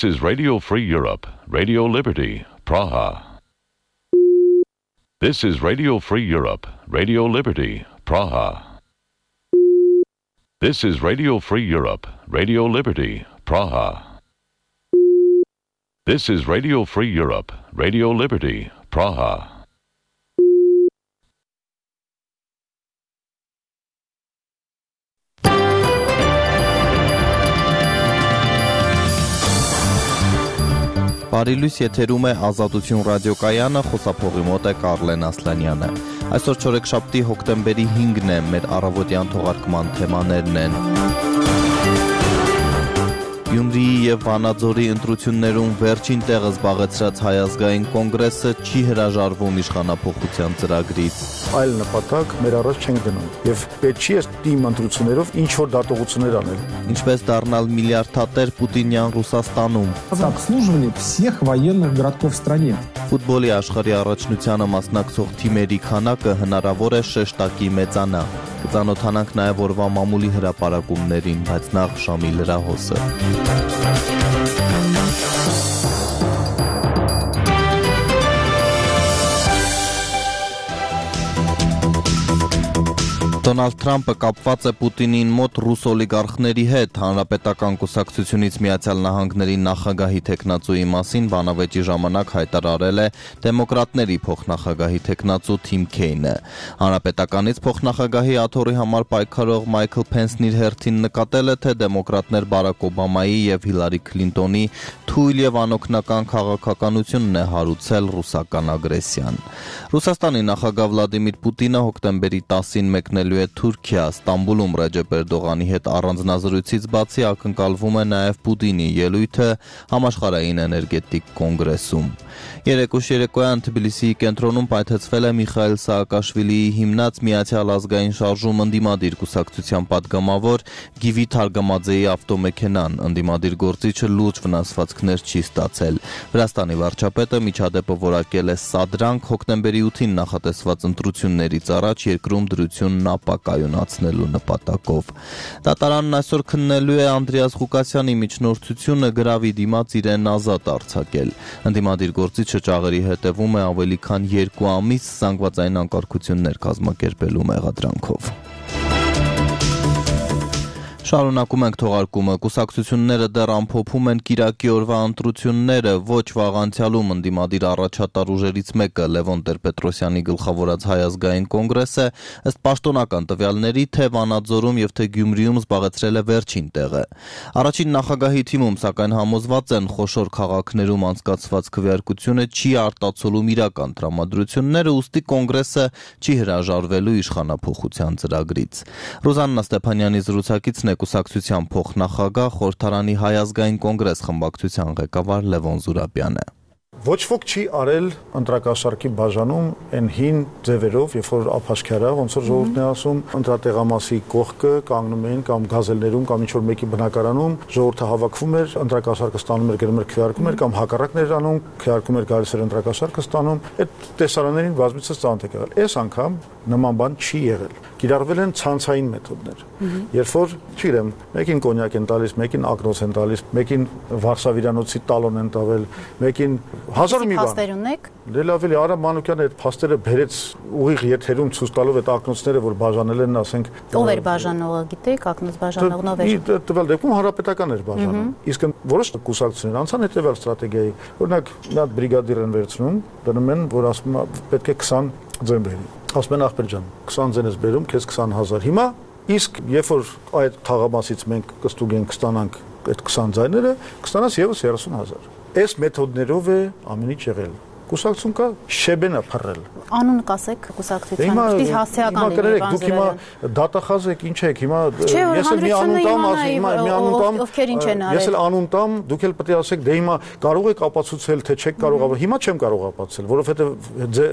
This is Radio Free Europe, Radio Liberty, Praha. This is Radio Free Europe, Radio Liberty, Praha. This is Radio Free Europe, Radio Liberty, Praha. This is Radio Free Europe, Radio Liberty, Praha. Բարիլույս եթերում է Ազատություն ռադիոկայանը, խոսափողի մոտ է Կարլեն Ասլանյանը։ Այսօր չորեքշաբթի հոկտեմբերի 5-ն է, մեր առավոտյան թողարկման թեմաներն են։ Գյումրիի և Վանաձորի ընտրություններում վերջին տեղը զբաղեցրած Հայ ազգային կոնգրեսը չի հրաժարվում իշխանափոխության ծրագրից։ Այլ նպատակ մեր առաջ չենք դնում եւ պետք չի այս ընտրություններով ինչ որ դատողություններ անել։ Ինչպես դառնալ միլիարդատեր Պուտինյան Ռուսաստանում։ Обслуживали всех военных городков в стране. Ֆուտբոլի աշխարհի առաջնությանը մասնակցող թիմերի քանակը հնարավոր է շեշտակի մեծանա։ Կծանոթանանք նաև օրվա մամուլի հրապարակումներին, բայց նախ Շամի լրահոսը։ Դոնալդ Թրամփը կապված է Պուտինին մոտ ռուս օլիգարխների հետ։ Հանրապետական կուսակցությունից Միացյալ Նահանգների նախագահի թեկնածուի մասին բանավեճի ժամանակ հայտարարել է դեմոկրատների փոխնախագահի թեկնածու Թիմ Քեյնը։ Հանրապետականից փոխնախագահի աթոռի համար պայքարող Մայքլ Փենսն իր հերթին նկատել է, թե դեմոկրատներ Բարակ Օբամայի եւ Հիլարի Քլինտոնի թույլ եւ անօգնական քաղաքականությունն է հարուցել ռուսական ագրեսիան։ Ռուսաստանի նախագահ Վլադիմիր Պուտինը հոկտեմբերի 10-ին մեկնելու է Թուրքիա, Ստամբուլում Ռեջեփ Էրդողանի հետ առանձնազրույցից բացի ակնկալվում է նաև Պուտինի ելույթը համաշխարհային էներգետիկ կոնգրեսում։ Երեկոյան Թբիլիսիի կենտրոնում պայթեցվել է Միխայիլ Սաակաշվիլիի հիմնած Միացյալ ազգային շարժում ընդդիմադիր կուսակցության падգամավոր Գիվի Թարգամաձեի ավտոմեքենան։ Ընդդիմադիր գործիչը լուրջ վնասվածքներ չի ստացել։ Վրաստանի վարչապետը միջադեպը որակել է սադրանք հոկտեմբերի 8-ին նախատեսված ընտրություններից առաջ երկրում դրությունն ապակայունացնելու նպատակով։ Դատարանն այսօր քննելու է Անդրեաս Ղուկասյանի միջնորդությունը գրավի դիմաց իրեն ազատ արձակել։ Ընդդիմադիր գործիչը ճաղերի հետևում է ավելի քան 2 ամիս զանգվածային անկարգություններ կազմակերպելու մեղադրանքով։ Շարունակում ենք թողարկումը։ Կուսակցությունները դեռ ամփոփում են կիրակի օրվա ընտրությունները, ոչ վաղ անցյալում ընդդիմադիր առաջատար ուժերից մեկը Լևոն Տեր-Պետրոսյանի գլխավորած Հայ ազգային կոնգրեսը ըստ պաշտոնական տվյալների թե Վանաձորում եւ թե Գյումրիում զբաղեցրել է վերջին տեղը։ Առաջին նախագահի թիմում սակայն համոզված են խոշոր քաղաքներում անցկացված քվեարկությունը չի արտացոլում իրական տրամադրությունները, ուստի կոնգրեսը չի հրաժարվելու իշխանափոխության ծրագրից։ Ռոզաննա Ստեփանյանի զրուցակիցն կուսակցության փոխնախագահ խորհրդարանի Հայ ազգային կոնգրես խմբակցության ղեկավար Լևոն Զուրաբյանը։ Ոչ ոք չի արել ընտրակաշառքի բաժանում այն հին ձևերով, երբ որ ափաշքարա, ոնց որ ժողովուրդն է ասում, ընտրատեղամասի կողքը կանգնում էին կամ գազելներում կամ ինչ որ մեկի բնակարանում, ժողովուրդը հավաքվում էր, ընտրակաշառքը ստանում էր, գնում էր քվեարկում էր կամ հակառակն էր անում, քվեարկում էր գալիս էր ընտրակաշառքը ստանում, այդ տեսարաններին բազմիցս ծանոթ եք եղել։ Այս անգամ նման բան չի եղել։ Կիրառվել են ցանցային մեթոդներ։ Երբ որ, չգիտեմ, մեկին կոնյակ են տալիս, մեկին ակնոց են տալիս, մեկին Վարշավիրանոցի տալոն են տվել, մեկին հազար մի բան։ Փաստեր ունեք։ Լավ էլի Արա Մանուկյանը այդ փաստերը բերեց ուղիղ եթերում ցույց տալով այդ ակնոցները, որ բաժանել են, ասենք։ Ով էր բաժանողը, գիտեք, ակնոց բաժանողն ով էր։ Տվյալ դեպքում հանրապետական էր բաժանում։ Իսկ որոշ կուսակցություններ անցան հետևյալ ստրատեգիայի։ Օրինակ, մի հատ բրիգադիր են վերցնում, դնում են, որ ասում է պետք է 20 ձեն բերի։ Ասում են ախպեր ջան, 20 ձեն ես բերում, քեզ 20000։ Հիմա իսկ երբ որ այդ թաղամասից մենք կստուգենք կստանանք այդ 20 ձայները, կստանաս եւս 30000։ Այս մեթոդներով է ամեն ինչ եղել։ Կուսակցություն կա շեբենա փռել։ Անուն կասեք կուսակցության, իսկ հասցեական լինի բան հիմա դատախազ եք, ինչ եք, հիմա ես էլ մի անուն տամ, մի անուն տամ, ովքեր ինչ են արել։ Ես էլ անուն տամ, դուք էլ պետք է ասեք, դե հիմա կարող եք ապացուցել, թե չեք կարող, հիմա չեմ կարող ապացուցել, որովհետև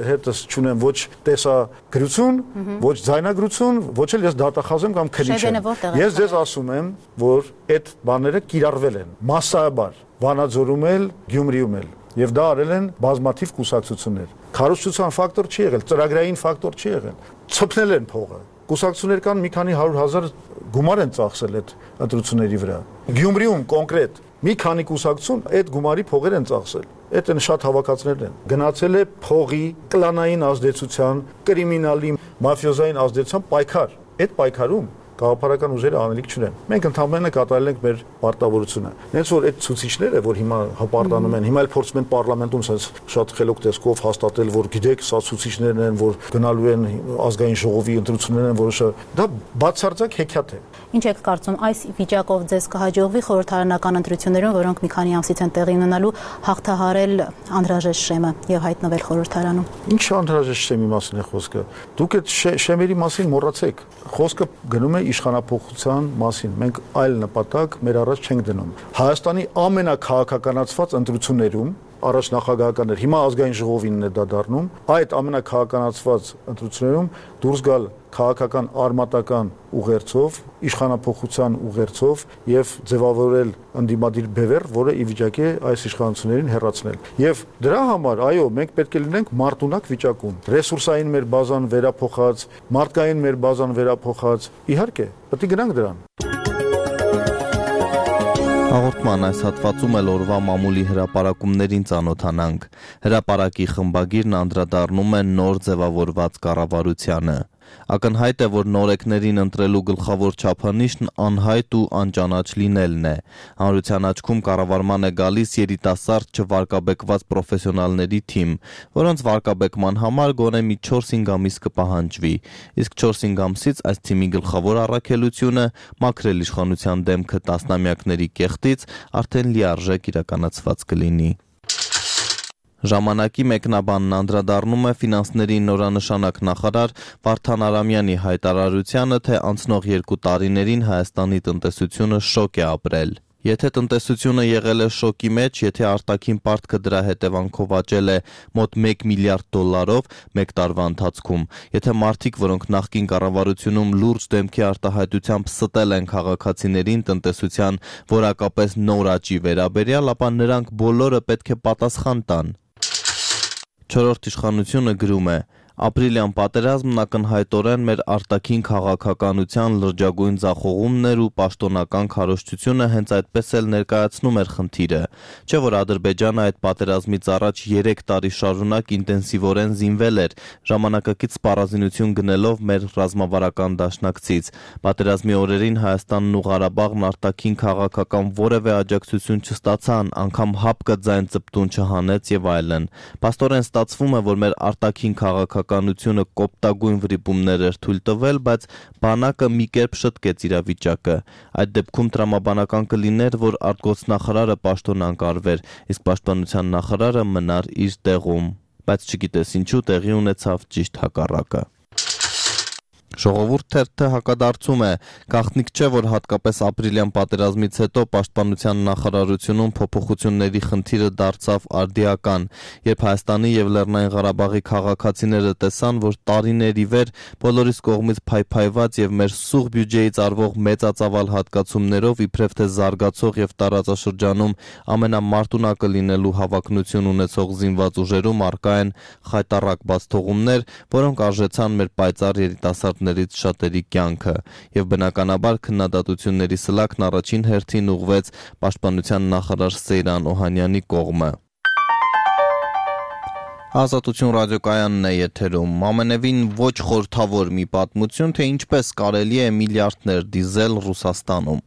հետս չունեմ ոչ տեսագրություն, ոչ ձայնագրություն, ոչ էլ ես դատախազ եմ կամ քննիչ եմ։ Ես ձեզ ասում եմ, որ այդ բաները կիրառվել են մասսայաբար, Վանաձորում էլ, Գյումրիում էլ։ Եվ դա արել են բազմաթիվ կուսակցություններ։ Քարոզչության ֆակտոր չի եղել, ծրագրային ֆակտոր չի եղել։ Ցփնել են փողը։ Կուսակցություններ կան մի քանի 100,000 գումար են ծախսել այդ ընտրությունների վրա։ Գյումրիում կոնկրետ Մի քանի կուսակցություն այդ գումարի փողեր են ծախսել։ Այդ են շատ հավաքածներ են։ Գնացել է փողի, կլանային ազդեցության, կրիմինալի, մաֆիոզային ազդեցության պայքար։ Այդ պայքարում գաղափարական ուժերը անելիք չունեն։ Մենք ընդհանրապես կատարել ենք մեր պարտավորությունը։ Հենց որ այդ ցուցիչները, որ հիմա հպարտանում են, հիմա էլ փորձում են պարլամենտում sense շատ խելոք տեսքով հաստատել, որ գիտեք, սա ցուցիչներն են, որ գնալու են ազգային ժողովի ընտրություններ են, որոշը դա բացարձակ հեքիաթ է։ Ինչ եք կարծում, այս վիճակով ձեզ կհաջողվի խորհրդարանական ընտրություններում, որոնք մի քանի ամսից են տեղի ունենալու, հաղթահարել անհրաժեշտ շեմը եւ հայտնվել խորհրդարանում։ Ինչ անհրաժեշտ շեմի մասին է խոսքը։ Դուք այդ շեմերի մասին մոռացեք։ Խոսքը գնում է իշխանապողության մասին։ Մենք այլ նպատակ մեր առաջ չենք դնում։ Հայաստանի ամենակահաղականացված ընտրություններում առաջ նախագահական էր, հիմա ազգային ժողովինն է դա դառնում, այդ ամենակահաղականացված ընտրություններում դուրս գալ քաղաքական արմատական ուղերձով, իշխանապողության ուղերձով եւ ձևավորել ընդդիմադիր բևեռ, որը ի վիճակի է այս իշխանություններին հեռացնել։ Եվ դրա համար, այո, մենք պետք է լինենք մարտունակ վիճակում։ Ռեսուրսային մեր բազան վերափոխած, մարդկային մեր բազան վերափոխած, իհարկե, պետք է գնանք դրան։ Հաղորդման այս հատվածում էլ օրվա մամուլի հրապարակումներին ծանոթանանք։ Հրապարակի խմբագիրն անդրադառնում է նոր ձևավորված կառավարությանը։ Ակնհայտ է, որ նորեկներին ընտրելու գլխավոր չափանիշն անհայտ ու անճանաչ լինելն է։ Հանրության աչքում կառավարման է գալիս երիտասարդ չվարկաբեկված պրոֆեսիոնալների թիմ, որոնց վարկաբեկման համար գոնե մի 4-5 ամիս կպահանջվի։ Իսկ 4-5 ամսից այս թիմի գլխավոր առաքելությունը մաքրել իշխանության դեմքը տասնամյակների կեղտից արդեն լիարժեք իրականացված կլինի։ Ժամանակի մեկնաբանն անդրադառնում է ֆինանսների նորանշանակ նախարար Վարդան Արամյանի հայտարարությանը, թե անցնող 2 տարիներին Հայաստանի տնտեսությունը շոկ է ապրել։ Եթե տնտեսությունը եղել է շոկի մեջ, եթե արտաքին պարտքը դրա հետևանքով աճել է մոտ $1 միլիարդ մեկ տարվա ընթացքում, եթե մարդիկ, որոնք նախկին կառավարությունում լուրջ դեմքի արտահայտությամբ ստել են քաղաքացիներին տնտեսության որակապես նոր աճի վերաբերյալ, ապա նրանք բոլորը պետք է պատասխան տան։ Չորրորդ իշխանությունը գրում է. Ապրիլյան պատերազմն ակնհայտորեն մեր արտաքին քաղաքականության լրջագույն ձախողումն էր ու պաշտոնական քարոզչությունը հենց այդպես էլ ներկայացնում էր խնդիրը, չէ՞ որ Ադրբեջանը այդ պատերազմից առաջ 3 տարի շարունակ ինտենսիվորեն զինվել էր, ժամանակակից սպառազինություն գնելով մեր ռազմավարական դաշնակցից։ Պատերազմի օրերին Հայաստանն ու Ղարաբաղն արտաքին քաղաքական որևէ աջակցություն չստացան, անգամ հապկը ձայն ծպտուն չհանեց եւ այլն։ Փաստորեն ստացվում է, որ մեր արտաքին քաղաքականությունը կոպտագույն վրիպումներ էր թույլ տվել, բայց բանակը մի կերպ շտկեց իրավիճակը։ Այդ դեպքում տրամաբանական կլիներ, որ արտգործնախարարը պաշտոնանկարվեր, իսկ պաշտպանության նախարարը մնար իր տեղում, բայց չգիտես ինչու տեղի ունեցավ ճիշտ հակառակը։ Ժողովուրդ թերթը հակադարձում է, գաղտնիք չէ, որ հատկապես ապրիլյան պատերազմից հետո պաշտպանության նախարարությունում փոփոխությունների խնդիրը դարձավ արդիական, երբ Հայաստանի եւ Լեռնային Ղարաբաղի քաղաքացիները տեսան, որ տարիներ ի վեր բոլորիս կողմից փայփայված եւ մեր սուղ բյուջեից արվող մեծածավալ հատկացումներով իբրև թե զարգացող եւ տարածաշրջանում ամենամարտունակը լինելու հավակնություն ունեցող զինված ուժերում առկա են խայտառակ բացթողումներ, որոնք արժեցան մեր պայծառ երիտասարդներից շատերի կյանքը, եւ բնականաբար քննադատությունների սլաքն առաջին հերթին ուղղվեց պաշտպանության նախարար Սեյրան Օհանյանի կողմը։ Ազատություն ռադիոկայանն է եթերում, ամենևին ոչ խորհրդավոր մի պատմություն, թե ինչպես կարելի է միլիարդներ դիզել Ռուսաստանում։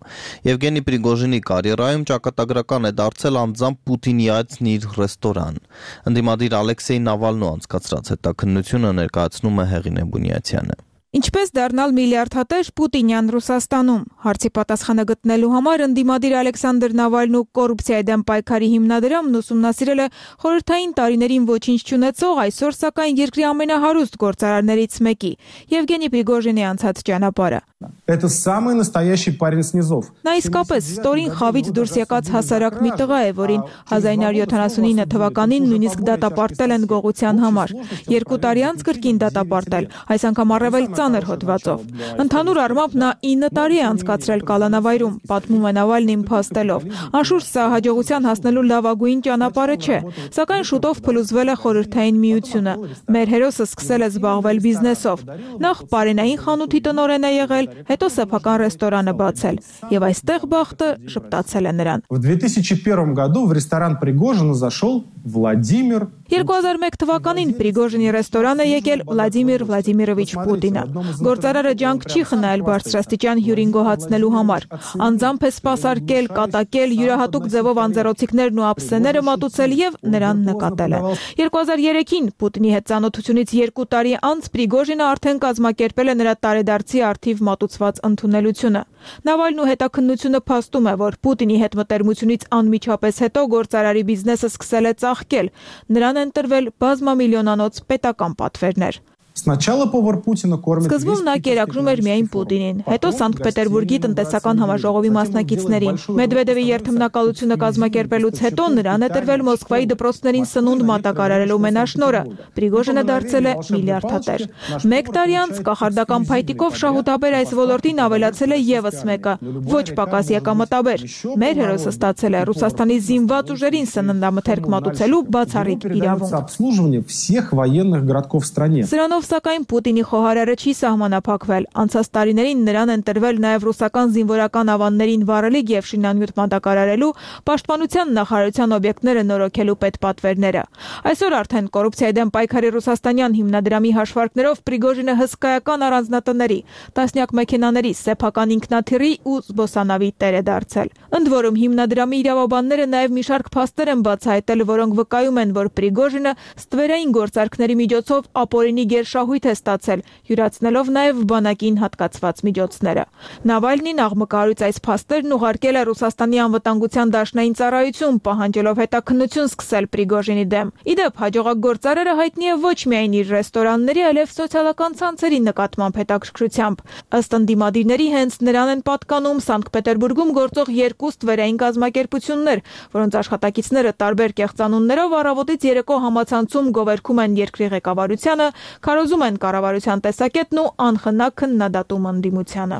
Եվգենի Պրիգոժինի կարիերայում ճակատագրական է դարձել անձամբ Պուտինի այցն իր ռեստորան։ Ընդդիմադիր Ալեքսեյ Նավալնու անցկացրած հետաքննությունը ներկայացնում է Հեղինե Բունյացյանը։ Ինչպես դառնալ միլիարդատեր Պուտինյան Ռուսաստանում։ Հարցի պատասխանը գտնելու համար ընդդիմադիր Ալեքսանդր Նավալնու կոռուպցիայի դեմ պայքարի հիմնադրամն ուսումնասիրել է խորհրդային տարիներին ոչինչ չունեցող, այսօր սակայն երկրի ամենահարուստ գործարարներից մեկի՝ Եվգենի Պրիգոժինի անցած ճանապարհը։ Это самый настоящий парень с низов. Նա իսկապես ստորին խավից դուրս եկած հասարակ մի տղա է, որին 1979 թվականին նույնիսկ դատապարտել են գողության համար։ 2 տարի անց կրկին դատապարտել, այս անգամ առավել ծանր հոդվածով։ Ընդհանուր առմամբ նա 9 տարի է անցկացրել կալանավայրում, պատմում է Նավալնին փաստելով։ Անշուշտ սա հաջողության հասնելու լավագույն ճանապարհը չէ, սակայն շուտով փլուզվել է խորհրդային միությունը։ Մեր հերոսը սկսել է զբաղվել բիզնեսով։ Նախ պարենային խանութի տնօրեն է եղել, հետո հետո սեփական ռեստորանը բացել, եւ այստեղ բախտը շփտացել է նրան։ В 2001 году в ресторан Пригожина зашел Владимир 2001 թվականին Պրիգոժինի ռեստորան է եկել Վլադիմիր Վլադիմիրովիչ Պուտինը։ Գործարարը ջանք չի խնայել բարձրաստիճան հյուրին գոհացնելու համար։ Անձամբ է սպասարկել, կատակել, յուրահատուկ ձևով անձեռոցիկներն ու ափսեները մատուցել եւ նրան նկատել է։ 2003-ին Պուտինի հետ ծանոթությունից 2 տարի անց Պրիգոժինը արդեն կազմակերպել է նրա տարեդարձի արդիվ մատուցված ընդունելությունը։ Նավալնու հետաքննությունը փաստում է, որ Պուտինի հետ մտերմությունից անմիջապես հետո գործարարի բիզնեսը սկսել է ծաղկել։ Նրան են տրվել բազմամիլիոնանոց պետական պատվերներ։ Сначала повар Путина кормит Սկզբում նա կերակրում էր միայն Պուտինին, հետո Սանկտ Պետերբուրգի տնտեսական համաժողովի մասնակիցներին։ Մեդվեդևի երթմնակալությունը կազմակերպելուց հետո նրան է տրվել Մոսկվայի դպրոցներին սնունդ մատակարարելու մենաշնորհը։ Պրիգոժինը դարձել է միլիարդատեր։ 1 տարի անց կախարդական փայտիկով շահութաբեր այս ոլորտին ավելացել է եւս մեկը, ոչ պակաս եկամտաբեր։ Մեր հերոսը ստացել է Ռուսաստանի զինված ուժերին սննդամթերք մատուցելու բացառիկ իրավունք։ обслуживание всех военных городков в стране. Սրանով սակայն Պուտինի խոհարարը չի սահմանափակվել։ Անցած տարիներին նրան են տրվել նաև ռուսական զինվորական ավաններին վառելիք եւ շինանյութ մատակարարելու, պաշտպանության նախարարության օբյեկտները նորոգելու պետպատվերները։ Այսօր արդեն կոռուպցիայի դեմ պայքարի ռուսաստանյան հիմնադրամի հաշվարկներով Պրիգոժինը հսկայական առանձնատների, տասնյակ մեքենաների, սեփական ինքնաթիռի ու զբոսանավի տեր է դարձել։ Ընդ որում հիմնադրամի իրավաբանները նաև մի շարք փաստեր են բացահայտել, որոնք վկայում են, որ Պրիգոժինը ստվերային գործարքների միջոցով ապօրինի գերշահույթ է ստացել, յուրացնելով նաև բանակին հատկացված միջոցները։ Նավալնին աղմկահարույց այս փաստերն ուղարկել է Ռուսաստանի անվտանգության դաշնային ծառայություն, պահանջելով հետաքննություն սկսել Պրիգոժինի դեմ։ Իդեպ հաջողակ գործարարը հայտնի է ոչ միայն իր ռեստորանների, այլև սոցիալական ցանցերի նկատմամբ հետաքրքրությամբ։ Ըստ ընդդիմադիրների հենց նրան են պատկանում Սանկտ Պետերբուրգում գործող 2 ստվերային կազմակերպություններ, որոնց աշխատակիցները տարբեր կեղծանուններով առավոտից երեկո համացանցում գովերգում են երկրի ղեկավարությանը, քարոզում են կառավարության տեսակետն ու անխնա քննադատում ընդդիմությանը։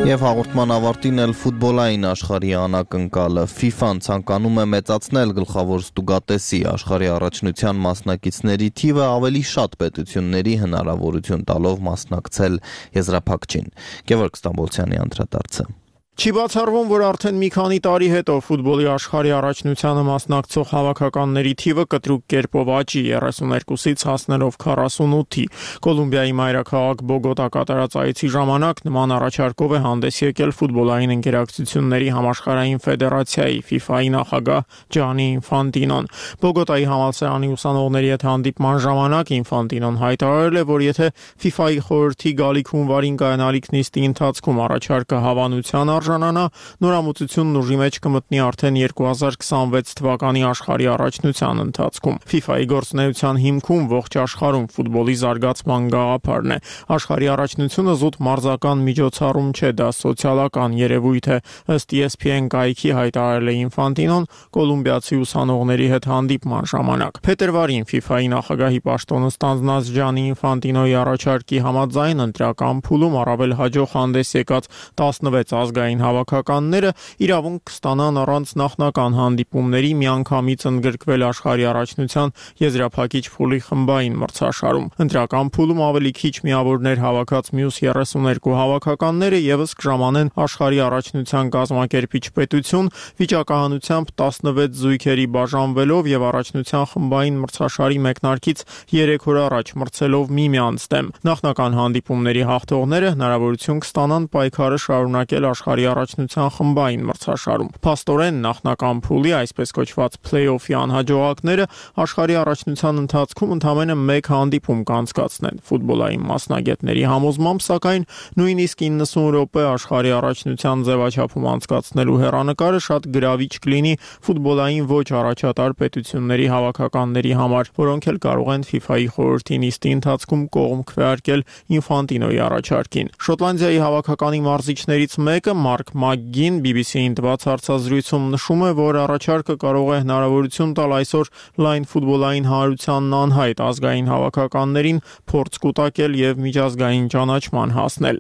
Եվ հաղորդման ավարտին էլ ֆուտբոլային աշխարհի անակնկալը FIFA-ն ցանկանում է մեծացնել գլխավոր ստուգատեսի աշխարհի առաջնության մասնակիցների թիվը ավելի շատ պետությունների հնարավորություն տալով մասնակցել եզրափակչին։ Գևորգ Ստամբոլցյանի անդրադարձը։ Չի բացառվում, որ արդեն մի քանի տարի հետո ֆուտբոլի աշխարհի առաջնությանը մասնակցող հավաքականների թիվը կտրուկ կերպով աճի 32-ից հասնելով 48-ի։ Կոլումբիայի մայրաքաղաք Բոգոտա կատարած այցի ժամանակ նման առաջարկով է հանդես եկել ֆուտբոլային ընկերակցությունների համաշխարհային ֆեդերացիայի FIFA-ի նախագահ Ջանի Ինֆանտինոն։ Բոգոտայի համալսարանի ուսանողների հետ հանդիպման ժամանակ Ինֆանտինոն հայտարարել է, որ եթե FIFA-ի խորհրդի գալիք հունվարին կայանալիք նիստի ընթացքում առաջարկը հավանության արժանանա, նորամուծությունն ուժի մեջ կմտնի արդեն 2026 թվականի աշխարհի առաջնության ընթացքում։ FIFA-ի գործունեության հիմքում ողջ աշխարհում ֆուտբոլի զարգացման գաղափարն է։ Աշխարհի առաջնությունը զուտ մարզական միջոցառում չէ, դա սոցիալական երևույթ է, ըստ ESPN կայքի հայտարարել է Ինֆանտինոն կոլումբիացի ուսանողների հետ հանդիպման ժամանակ։ Փետրվարին FIFA-ի նախագահի պաշտոնը ստանձնած Ջանի Ինֆանտինոյի առաջարկի համաձայն ընտրական փուլում առավել հաջող հանդես եկած 16 ազգային հավաքականները իրավունք կստանան առանց նախնական հանդիպումների միանգամից ընդգրկվել աշխարհի առաջնության եզրափակիչ փուլի խմբային մրցաշարում։ Ընտրական փուլում ավելի քիչ միավորներ հավաքած մյուս 32 հավաքականները եւս կժամանեն աշխարհի առաջնության կազմակերպիչ պետություն վիճակահանությամբ 16 զույգերի բաժանվելով եւ առաջնության խմբային մրցաշարի մեկնարկից 3 օր առաջ մրցելով միմյանց դեմ։ Նախնական հանդիպումների հաղթողները հնարավորություն կստանան պայքարը շարունակել աշխարհի առաջնության խմբային մրցաշարում։ Փաստորեն նախնական փուլի, այսպես կոչված play-off-ի անհաջողակները աշխարհի առաջնության ընթացքում ընդամենը 1 հանդիպում կանցկացնեն։ Ֆուտբոլային մասնագետների համոզմամբ, սակայն նույնիսկ 90 րոպե աշխարհի առաջնության ձևաչափում անցկացնելու հեռանկարը շատ գրավիչ կլինի ֆուտբոլային ոչ առաջատար պետությունների հավաքականների համար, որոնք էլ կարող են FIFA-ի խորհրդի նիստի ընթացքում կողմ քվեարկել Ինֆանտինոյի առաջարկին։ Շոտլանդիայի հավաքականի մարզիչներից մեկը Մարկ Մակգին BBC-ին տված հարցազրույցում նշում է, որ առաջարկը կարող է հնարավորություն տալ այսօր լայն ֆուտբոլային հանրությանն անհայտ ազգային հավաքականներին փորձ կուտակել եւ միջազգային ճանաչման հասնել։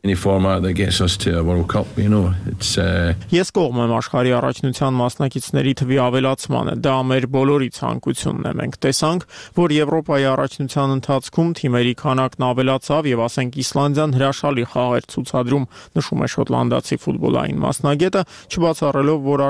Ես կողմ եմ աշխարհի առաջնության մասնակիցների թվի ավելացմանը, դա մեր բոլորի ցանկությունն է։ Մենք տեսանք, որ Եվրոպայի առաջնության ընթացքում թիմերի քանակն ավելացավ եւ ասենք Իսլանդիան հրաշալի խաղեր ցուցադրում, նշում է շոտլանդացի ֆուտբոլային մասնագետը, չբացառելով, որ